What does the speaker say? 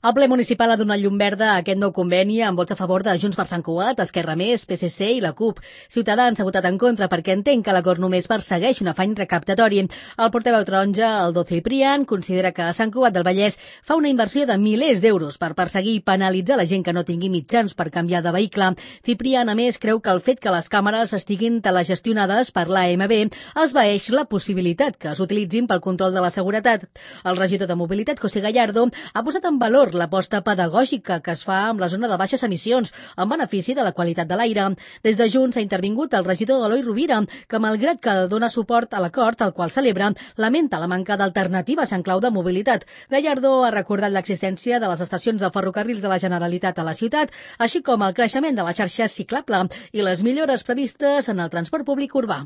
El ple municipal ha donat llum verda a aquest nou conveni amb vots a favor de Junts per Sant Cugat, Esquerra Més, PSC i la CUP. Ciutadans ha votat en contra perquè entén que l'acord només persegueix un afany recaptatori. El portaveu taronja, Aldo Ciprián, considera que Sant Cugat del Vallès fa una inversió de milers d'euros per perseguir i penalitzar la gent que no tingui mitjans per canviar de vehicle. Ciprián, a més, creu que el fet que les càmeres estiguin telegestionades per l'AMB esvaeix la possibilitat que s'utilitzin pel control de la seguretat. El regidor de Mobilitat, José Gallardo, ha posat en valor l'aposta pedagògica que es fa amb la zona de baixes emissions en benefici de la qualitat de l'aire. Des de Junts ha intervingut el regidor Eloi Rovira, que malgrat que dona suport a l'acord al qual celebra, lamenta la manca d'alternatives en clau de mobilitat. Gallardo ha recordat l'existència de les estacions de ferrocarrils de la Generalitat a la ciutat, així com el creixement de la xarxa ciclable i les millores previstes en el transport públic urbà.